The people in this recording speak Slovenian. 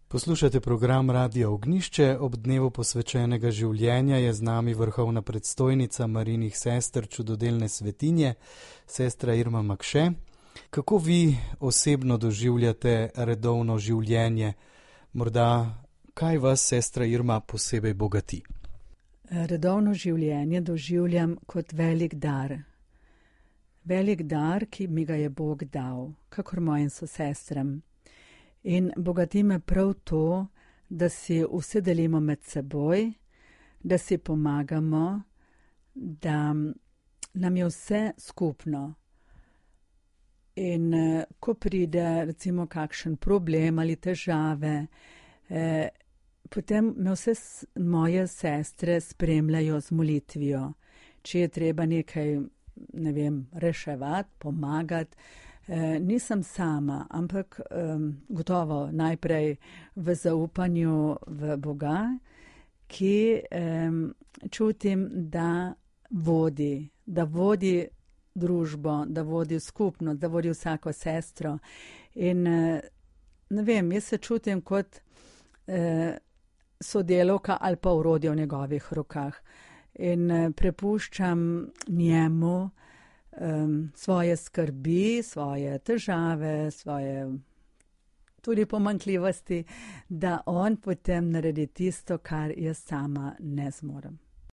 Poslušate program Radia Ognjišče. Ob dnevu posvečenega življenja je z nami vrhovna predstojnica Marijinih sester Čudodelne svetinje, sestra Irma Makše. Kako vi osebno doživljate redovno življenje? Morda kaj vas, sestra Irma, posebej bogati? Redovno življenje doživljam kot velik dar. Velik dar, ki mi ga je Bog dal, kakor mojim sosestram. In bogati me prav to, da si vse delimo med seboj, da si pomagamo, da nam je vse skupno. In ko pride recimo kakšen problem ali težave, potem me vse moje sestre spremljajo z molitvijo. Če je treba nekaj, reševati, pomagati, nisem sama, ampak gotovo najprej v zaupanju v Boga, ki čutim, da vodi družbo, da vodi skupnost, da vodi vsako sestro. In jaz se čutim kot sodelavka ali pa orodje v njegovih rokah. In prepuščam njemu svoje skrbi, svoje težave, svoje tudi pomanjkljivosti, da on potem naredi tisto, kar jaz sama ne zmorem.